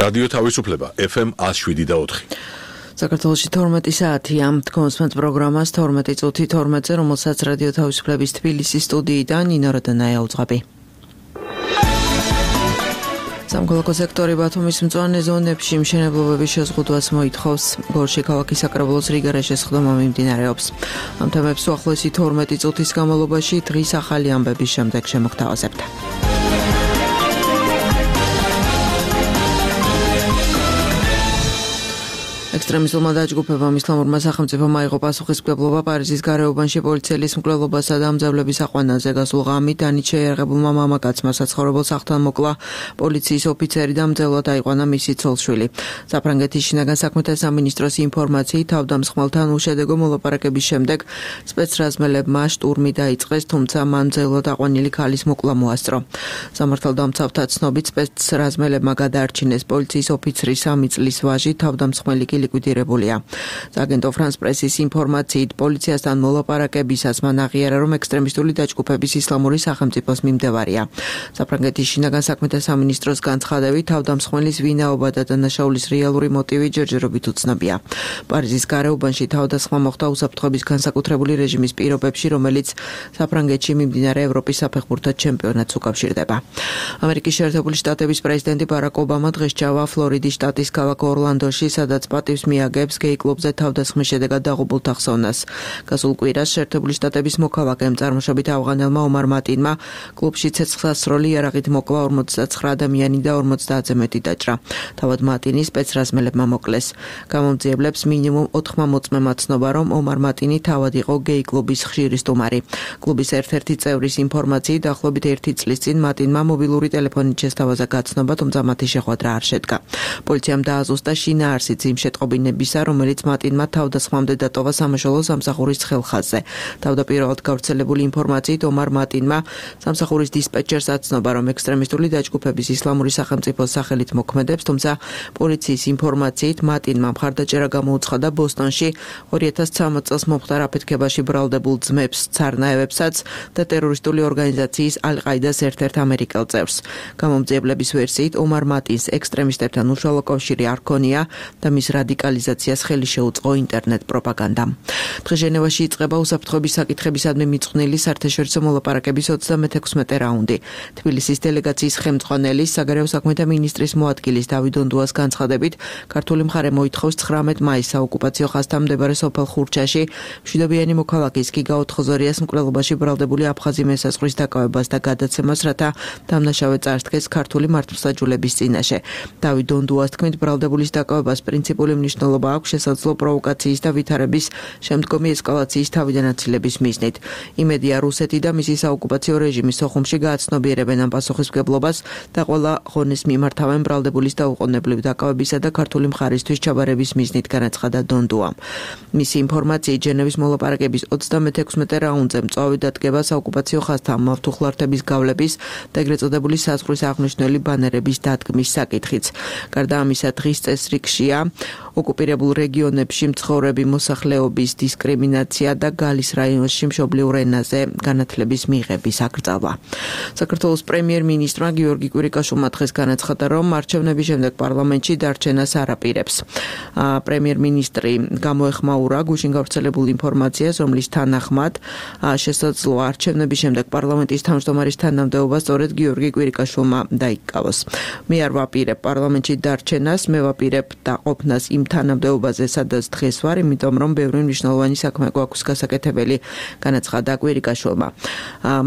რადიო თავისუფლება FM 107.4. საქართველოში 12 საათია. თქვენს პროგრამას 12 წუთი 12-ზე, რომელსაც რადიო თავისუფლების თბილისის სტუდიიდან ნინო როდანაია უძღვები. სამოქალაქო სექტორი ბათუმის მწვანე ზონებში მშენებლობების შეზღუდვას მოითხოვს. გორში ქალაქის საკრებულოს რიგა შესხდომა მიმდინარეობს. ამ თემებს უახლოესი 12 წუთის განმავლობაში დღის ახალი ამბების შემდეგ შემოგთავაზებთ. ექსტრემისტულმა დაჯგუფებამ ისლამურმა სახელმწიფომ აიღო პასუხისმგებლობა პარიზის გარეუბანში პოლიციელის მკვლელობასა და ამძაბლების აყვანაზე. გასულ ღამით დანით შეიარაღებულმა მამაკაცმა საცხოვრებელ სახლთან მოკლა პოლიციის ოფიცერი და მძევლად აიყვანა მისი ცოლ-შვილი. საფრანგეთის შინაგან საქმეთა სამინისტროს ინფორმაციით, თავდამსხმელთან უშედეგო მოლაპარაკების შემდეგ სპეცრაზმელებმა შტურმი დაიწყეს, თუმცა მან მძევლად აყვანილი ქალის მოკლა მოასწრო. სამართალდამცავთა ცნობით სპეცრაზმელებმა გადაარჩინეს პოლიციის ოფიცრის 3 წლის ვაჟი, თავდამსხმელი ლიკვიდირებულია. აგენტო ფრანს პრესის ინფორმაციით, პოლიციასთან მოლაპარაკებისას მან აღიარა, რომ ექსტრემისტული დაჯგუფების ისლამური სახელმწიფოს მიმდევარია. საფრანგეთის შინაგან საქმეთა სამინისტროს განცხადებით, თავდამსხმელის ვინაობა და დანაშაულის რეალური მოტივი ჯერჯერობით უცნობია. პარიზის გარეუბანში თავდასხმა მოხდა უსაფრთხოების განსაკუთრებული რეჟიმის პირობებში, რომელიც საფრანგეთში მიმდინარე ევროპის საფეხბურთო ჩემპიონატს უკავშირდება. ამერიკის შეერთებული შტატების პრეზიდენტი ბარაკ ობამა დღეს ჩავა ფლორიდის შტატის ქალაქ ორლანდოში, სადაც პატივს მიაგებს გეი კლუბზე თავდასხმის შედეგად დაღუპულთა ხსოვნას. გასულ კვირას შეერთებული შტატების მოქალაქემ წარმოშობით ავღანელმა ომარ მატინმა კლუბში ცეცხლსასროლი იარაღით მოკლა 49 ადამიანი და 50-ზე მეტი დაჭრა. თავად მატინი სპეცრაზმელებმა მოკლეს. გამომძიებლებს მინიმუმ 4 მოწმემა ცნობა, რომ ომარ მატინი თავად იყო გეი კლუბის ხშირი სტუმარი. კლუბის ერთ-ერთი წევრის ინფორმაციით, დაახლოებით 1 წლის წინ მატინმა მობილური ტელეფონით შესთავაზა გაცნობა, თუმცა მათი შეხვედრა არ შედგა. პოლიციამ დააზუსტა შინაარსიც იმ შეტყობინებისა, რომელიც მატინმა თავდასხმამდე დატოვა სამაშველო სამსახურის ცხელხაზზე. თავდაპირველად გავრცელებული ინფორმაციით, ომარ მატინმა სამსახურის დისპეჩერს აცნობა, რომ ექსტრემისტული დაჯგუფების ისლამური სახელმწიფოს სახელით მოქმედებს, თუმცა პოლიციის ინფორმაციით, მატინმა მხარდაჭერა გამოუცხადა ბოსტონში 2013 წელს მომხდარ აფეთქებაში ბრალდებულ ძმებს, ცარნაევებსაც და ტერორისტული ორგანიზაციის ალ-ყაიდას ერთ-ერთ ამერიკელ წევრს. გამომძიებლების ვერსიით, ომარ მატინს ექსტრემისტებთან უშუალო კავშირი არ ჰქონია და მის რადიკალიზაციას ხელი შეუწყო ინტერნეტ პროპაგანდამ. დღეს ჟენევაში იწყება უსაფრთხოების საკითხებისადმი მიძღვნილი საერთაშორისო მოლაპარაკების 36 რაუნდი. თბილისის დელეგაციის ხელმძღვანელი საგარეო საქმეთა მინისტრის მოადგილის დავით დონდუას განცხადებით, ქართული მხარე მოითხოვს 19 მაისს საოკუპაციო ხაზთან მდებარე სოფელ ხურჩაში მშვიდობიანი მოქალაქის გიგა ოთხოზორიას მკვლელობაში ბრალდებული აფხაზი მესაზღვრის დაკავებას და გადაცემას, რათა დამნაშავე წარსდგეს ქართული მართლმსაჯულების წინაშე. დავით დონდუას თქმით, ბრალდებულის დაკავებას პრინციპული მნიშვნელობა აქვს შესაძლო პროვოკაციის და ვითარების შემდგომი ესკალაციის თავიდან აცილების მიზნით. იმედია, რუსეთი და მისი საოკუპაციო რეჟიმი სოხუმში გააცნობიერებენ ამ პასუხისმგებლობას და ყველა ღონეს მიმართავენ ბრალდებულის დაუყოვნებლივ დაკავებისა და ქართული მხარისთვის ჩაბარების მიზნით, განაცხადა დონდუამ. მისი ინფორმაციით, ჟენევის მოლაპარაკების 36 რაუნდზე მწვავე დადგება საოკუპაციო ხაზთან მავთუხლართების გავლების და ეგრეთ წოდებული საზღვრის აღნიშნული ბანერების დადგმის საკითხიც. გარდა ამისა, დღის წესრიგშია ოკუპირებულ რეგიონებში მცხოვრები მოსახლეობის დისკრიმინაცია და გალის რაიონში მშობლიურ ენაზე განათლების მიღების აკრძალვა. საქართველოს პრემიერ-მინისტრმა გიორგი კვირიკაშვილმა დღეს განაცხადა, რომ არჩევნების შემდეგ პარლამენტში დარჩენას არ აპირებს. პრემიერ-მინისტრი გამოეხმაურა გუშინ გავრცელებულ ინფორმაციას, რომლის თანახმად შესაძლოა არჩევნების შემდეგ პარლამენტის თავმჯდომარის თანამდებობა სწორედ გიორგი კვირიკაშვილმა დაიკავოს. მე არ ვაპირებ პარლამენტში დარჩენას, მე ვაპირებ დაყოფნას იმ თანამდებობაზე, სადაც დღეს ვარ, იმიტომ რომ ბევრი მნიშვნელოვანი საქმე გვაქვს გასაკეთებელი, განაცხადა კვირიკაშვილმა.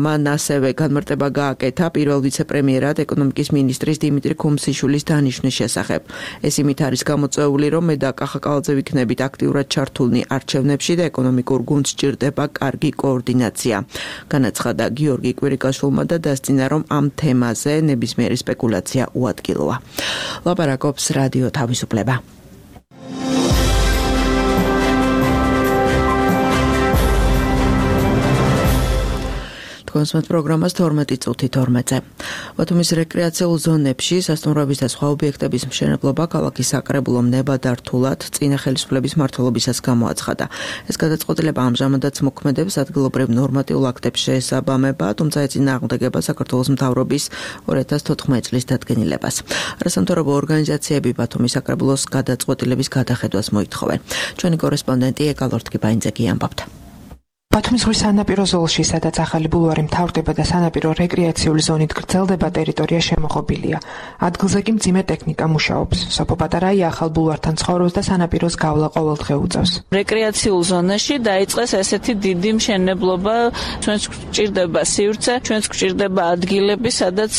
მან ასევე განმარტება გააკეთა პირველ ვიცე-პრემიერად ეკონომიკის მინისტრის დიმიტრი ქუმსიშვილის დანიშვნის შესახებ. ეს იმით არის გამოწვეული, რომ მე და კახა კალაძე ვიქნებით აქტიურად ჩართულნი არჩევნებში და ეკონომიკურ გუნდს სჭირდება კარგი კოორდინაცია, განაცხადა გიორგი კვირიკაშვილმა და დასწინა, რომ ამ თემაზე ნებისმიერი სპეკულაცია უადგილოა. ლაპარაკობს რადიო თავისუფლება. თქვენს პროგრამას 12 წუთი 12-ზე. ბათუმის რეკრეაციულ ზონებში სასტუმროების და სხვა ობიექტების მშენებლობა ქალაქის საკრებულომ ნებადართულად წინა ხელისუფლების მმართველობისას გამოაცხადა. ეს გადაწყვეტილება ამჟამადაც მოქმედებს ადგილობრივ ნორმატიულ აქტებს შეესაბამება, თუმცა ეწინააღმდეგება საქართველოს მთავრობის 2014 წლის დადგენილებას. არასამთავრობო ორგანიზაციები ბათუმის საკრებულოს გადაწყვეტილების გადახედვას მოითხოვენ. ჩვენი კორესპონდენტი ეკალორთკიბაინძე ამბობდა. ბათუმის ზღვის სანაპირო ზოლში, სადაც ახალი ბულვარი მთავრდება და სანაპირო რეკრეაციული ზონით გრძელდება, ტერიტორია შემოღობილია. ადგილზე კი მძიმე ტექნიკა მუშაობს. სოფო პატარაია ახალ ბულვართან ცხოვრობს და სანაპიროს გავლა ყოველდღე უწევს. რეკრეაციულ ზონაში დაიწყეს ესეთი დიდი მშენებლობა, ჩვენს გვჭირდება სივრცე, ჩვენს გვჭირდება ადგილები, სადაც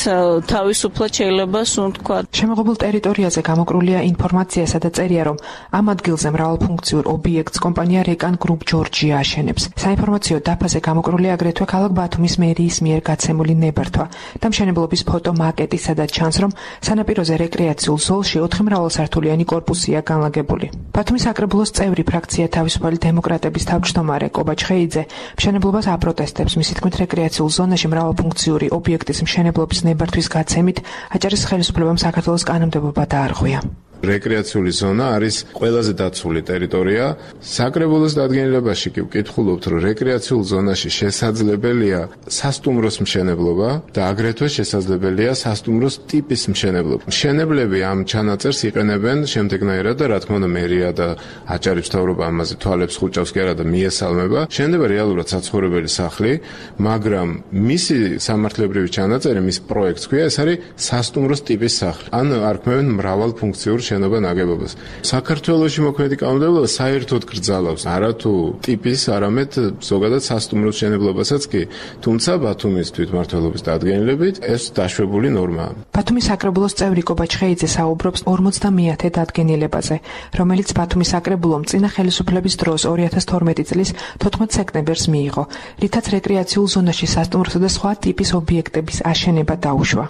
თავისუფლად შეიძლება ვთქვა. შემოღობილ ტერიტორიაზე გამოკრულია ინფორმაციასა და წერია, რომ ამ ადგილზე მრავალფუნქციურ ობიექტს კომპანია რეკან გრუპ ჯორჯია აშენებს. საინფორმაციო დაფაზე გამოკრულია აგრეთვე ქალაქ ბათუმის მერიის მიერ გაცემული ნებართვა და მშენებლობის ფოტო მაკეტი, სადაც ჩანს, რომ სანაპიროზე რეკრეაციულ ზოლში 4 მრავალსართულიანი კორპუსია განლაგებული. ბათუმის საკრებულოს წევრი ფრაქცია თავისუფალი დემოკრატების თავმჯდომარე კობა ჩხეიძე მშენებლობას აპროტესტებს. მისი თქმით, რეკრეაციულ ზონაში მრავალფუნქციური ობიექტის მშენებლობის ნებართვის გაცემით აჭარის ხელისუფლებამ საქართველოს კანონმდებლობა დაარღვია. რეკრეაციული ზონა არის ყველაზე დაცული ტერიტორია. საკრებულოს დადგენილებაში კი ვკითხულობთ, რომ რეკრეაციულ ზონაში შესაძლებელია სასტუმროს მშენებლობა და აგრეთვე შესაძლებელია სასტუმროს ტიპის მშენებლობა. მშენებლები ამ ჩანაწერს იყენებენ შემდეგნაირად და რა თქმა უნდა მერია და აჭარის მთავრობა ამაზე თვალებს ხუჭავს კი არა და მიესალმება. შენდება რეალურად საცხოვრებელი სახლი, მაგრამ მისი სამართლებრივი ჩანაწერი, მის პროექტს ქვია, ეს არის სასტუმროს ტიპის სახლი. ან არქმევენ მრავალფუნქციურ შენობა ნაგებობას. საქართველოში მოქმედი კანონმდებლობა საერთოდ კრძალავს არათუ ტიპის, არამედ ზოგადად სასტუმროს მშენებლობასაც კი, თუმცა ბათუმის თვითმმართველობის დადგენილებით ეს დაშვებული ნორმაა. ბათუმის საკრებულოს წევრი კობა ჩხეიძე საუბრობს 50-ე დადგენილებაზე, რომელიც ბათუმის საკრებულომ წინა ხელისუფლების დროს 2012 წლის 14 სექტემბერს მიიღო, რითაც რეკრეაციულ ზონაში სასტუმროსა და სხვა ტიპის ობიექტების აშენება დაუშვა.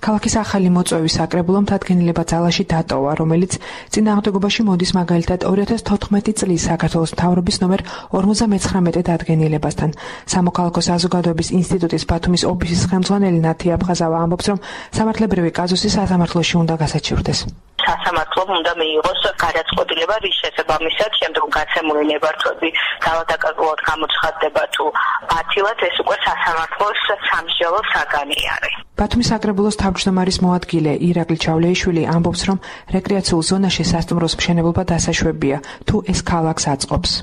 ქალაქის ახალი მოწვევის საკრებულომ დადგენილება ძალაში დატოვა, რომელიც წინააღმდეგობაში მოდის მაგალითად 2014 წლის საქართველოს მთავრობის ნომერ 59 დადგენილებასთან. სამოქალაქო საზოგადოების ინსტიტუტის ბათუმის ოფისის ხელმძღვანელი ნათია აფხაზავა ამბობს, რომ სამართლებრივი კაზუსი სასამართლოში უნდა გასაჩივრდეს. სასამართლომ უნდა მიიღოს გადაწყვეტილება, რის შესაბამისად შემდგომ გაცემული ნებართვები დაავადაკარგულად გამოცხადდება თუ ათილად, ეს უკვე სასამართლოს სამსჯელო საგანი არის. ბათუმის საკრებულოს თავმჯდომარის მოადგილე ირაკლი ჩავლეიშვილი ამბობს, რომ რეკრეაციულ ზონაში სასტუმროს მშენებლობა დასაშვებია, თუ ეს ქალაქს აწყობს.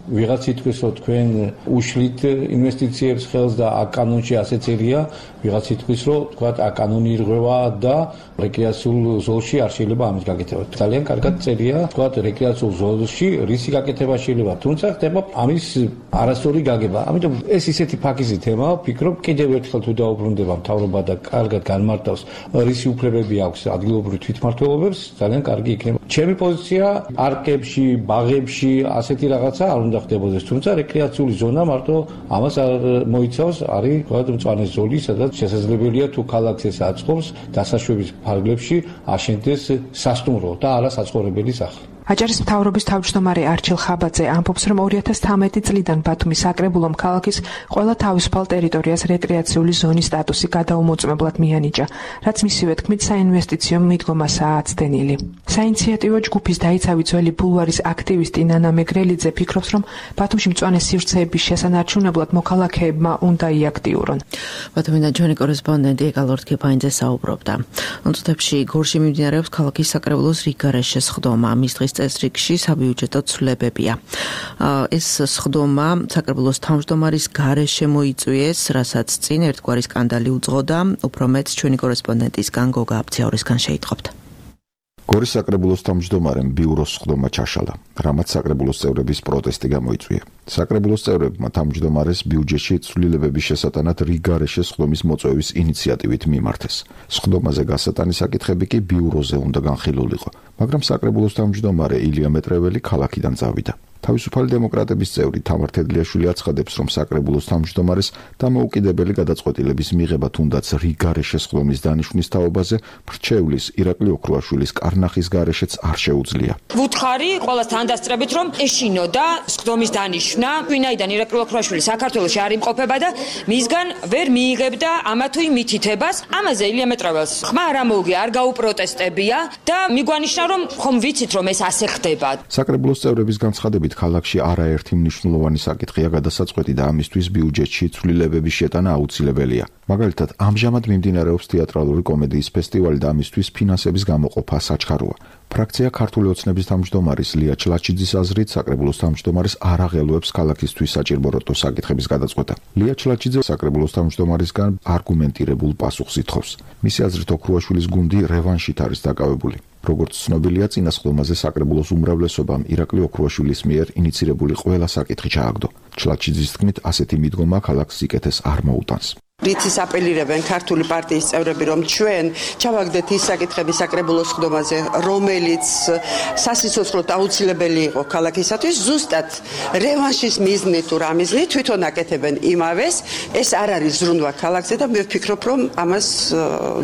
ვიღაც იტყვის, რომ თქვენ უშლით ინვესტიციებს ხელს და აქ კანონში ასეც ერია, ვიღაც იტყვის, რომ თქვა აქ კანონი ირღვევა და რეკრეაციულ ზოლში არ შეიძლება ამის გაკეთება. ძალიან კარგად წერია, თქვა რეკრეაციულ ზოლში რისი გაკეთება შეიძლება, თუმცა ხდება ამის არასწორი გაგება. ამიტომ ეს ისეთი ფაქიზი თემაა, ვფიქრობ, კიდევ ერთხელ თუ დაუბრუნდება მთავრობა და კარგად განმარტავს რისი უფლებები აქვს ადგილობრივ თვითმმართველობებს, ძალიან კარგი იქნება. ჩემი პოზიცია პარკებში, ბაღებში ასეთი რაღაცა არ უნდა ხდებოდეს, თუმცა რეკრეაციული ზონა მარტო ამას არ მოიცავს, არის თქვა მწვანე ზოლი, სადაც შესაძლებელია თუ ქალაქს ეს აწყობს დასაშვების ფარგლებში აშენდეს სასტუმრო და არა საცხოვრებელი სახლი. აჭარის მთავრობის თავმჯდომარე არჩილ ხაბაძე ამბობს, რომ 2013 წლიდან ბათუმის საკრებულომ ქალაქის ყველა თავისუფალ ტერიტორიას რეკრეაციული ზონის სტატუსი გადაუმოწმებლად მიანიჭა, რაც მისივე თქმით საინვესტიციო მიდგომასაა აცდენილი. საინიციატივო ჯგუფის დაიცავი ძველი ბულვარის აქტივისტი ნანა მეგრელიძე ფიქრობს, რომ ბათუმში მწვანე სივრცეების შესანარჩუნებლად მოქალაქეებმა უნდა იაქტიურონ. ბათუმიდან ჩვენი კორესპონდენტი ეკალორთკიბაინძე საუბრობდა. წუთებში გორში მიმდინარეობს ქალაქის საკრებულოს რიგგარეშე სხდომა. მის დღის წესრიგში საბიუჯეტო ცვლილებებია. ეს სხდომა საკრებულოს თავმჯდომარის გარეშე მოიწვიეს, რასაც წინ ერთგვარი სკანდალი უძღოდა, უფრო მეტ ჩვენი კორესპონდენტისგან გოგა აფციაურისგან შეიტყობთ. გორის საკრებულოს თავმჯდომარემ ბიუროს სხდომა ჩაშალა, რამაც საკრებულოს წევრების პროტესტი გამოიწვია. საკრებულოს წევრებმა თავმჯდომარეს ბიუჯეტში ცვლილებების შესატანად რიგგარეშე სხდომის მოწვევის ინიციატივით მიმართეს. სხდომაზე გასატანის საკითხები კი ბიუროზე უნდა განხილულიყო, მაგრამ საკრებულოს თავმჯდომარე ილია მეტრეველი ქალაქიდან წავიდა. თავისუფალი დემოკრატების წევრი თამარ თედლიაშვილი აცხადებს, რომ საკრებულოს თავმჯდომარეს დამოუკიდებელი გადაწყვეტილების მიღება თუნდაც რიგარე შესხდომის დანიშვნის თაობაზე მრჩევლის ირაკლი ოქრუაშვილის კარნახის გარეშეც არ შეუძლია. ვუთხარი ყველას თანდასწრებით, რომ ეშინოდა სხდომის დანიშვნა, ვინაიდან ირაკლი ოქრუაშვილი საქართველოში არ იმყოფება და მისგან ვერ მიიღებდა ამა თუ იმ მითითებას. ამაზე ილია მეტრაველს ხმა არ ამოუგია, არ გაუპროტესტებია და მიგვანიშნა, რომ ხომ ვიცით, რომ ეს ასე ხდება. საკრებულოს წევრების განცხადებით, ქალაქში არაერთი მნიშვნელოვანი საკითხია გადასაწყვეტი და ამისთვის ბიუჯეტში ცვლილებების შეტანა აუცილებელია. მაგალითად, ამჟამად მიმდინარეობს თეატრალური კომედიის ფესტივალი და ამისთვის ფინანსების გამოყოფა საჩქაროა. ფრაქცია ქართული ოცნების თავმჯდომარის ლია ჩლაჩიძის აზრით, საკრებულოს თავმჯდომარეს არ აღელვებს ქალაქისთვის საჭირბოროტო საკითხების გადაწყვეტა. ლია ჩლაჩიძე საკრებულოს თავმჯდომარისგან არგუმენტირებულ პასუხს ითხოვს. მისი აზრით, ოქრუაშვილის გუნდი რევანშით არის დაკავებული. როგორც ცნობილია, წინა სხდომაზე საკრებულოს უმრავლესობამ ირაკლი ოქრუაშვილის მიერ ინიცირებული ყველა საკითხი ჩააგდო. ჩლაჩიძის თქმით, ასეთი მიდგომა ქალაქს სიკეთეს არ მოუტანს. რითიც აპელირებენ ქართული პარტიის წევრები, რომ ჩვენ ჩავაგდეთ ის საკითხები საკრებულოს სხდომაზე, რომელიც სასიცოცხლოდ აუცილებელი იყო ქალაქისათვის, ზუსტად რევანშის მიზნით თუ რა მიზნით თვითონ აკეთებენ იმავეს. ეს არ არის ზრუნვა ქალაქზე და მე ვფიქრობ, რომ ამას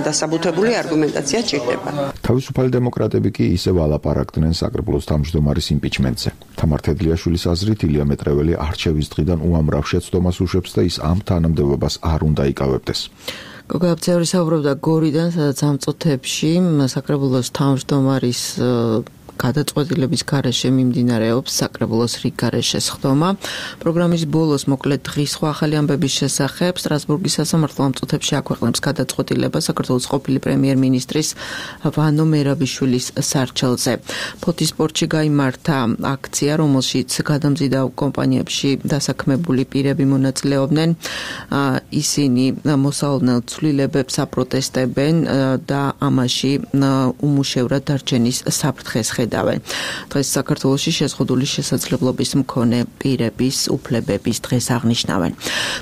დასაბუთებული არგუმენტაცია ჭირდება. თავისუფალი დემოკრატები კი ისევ ალაპარაკდნენ საკრებულოს თავმჯდომარის იმპიჩმენტზე. თამარ თედლიაშვილის აზრით, ილია მეტრეველი არჩევის დღიდან უამრავ შეცდომას უშვებს და ის ამ თანამდებობას არ უნდა იკავებდეს. გოგა წევრი საუბრობდა გორიდან, სადაც ამ წუთებში საკრებულოს თავმჯდომარის გადაწყვეტილების გარეშე მიმდინარეობს საკრებულოს რიგგარეშე სხდომა. პროგრამის ბოლოს მოკლედ დღის სხვა ახალი ამბების შესახებ სტრასბურგის სასამართლო ამ წუთებში აქვეყნებს გადაწყვეტილება საქართველოს ყოფილი პრემიერ-მინისტრის ვანო მერაბიშვილის სარჩელზე. ფოთის სპორტში გაიმართა აქცია, რომელშიც გადამზიდავ კომპანიებში დასაქმებული პირები მონაწილეობდნენ. ისინი მოსალოდნელ ცვლილებებს აპროტესტებენ და ამაში უმუშევრად დარჩენის საფრთხეს დღეს საქართველოში შეზღუდული შესაძლებლობის მქონე პირების უფლებების დღეს აღნიშნავენ.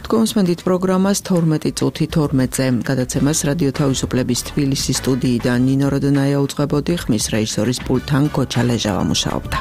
თქვენსმენდით პროგრამას 12 წუთი 12-ზე გადაცემას რადიო თავისუფლების თბილისის სტუდიიდან ნინო როდონაია უწყებოდი, ხმის რეჟისორის პულტთან კოჩა ლეჟავა მუშაობდა.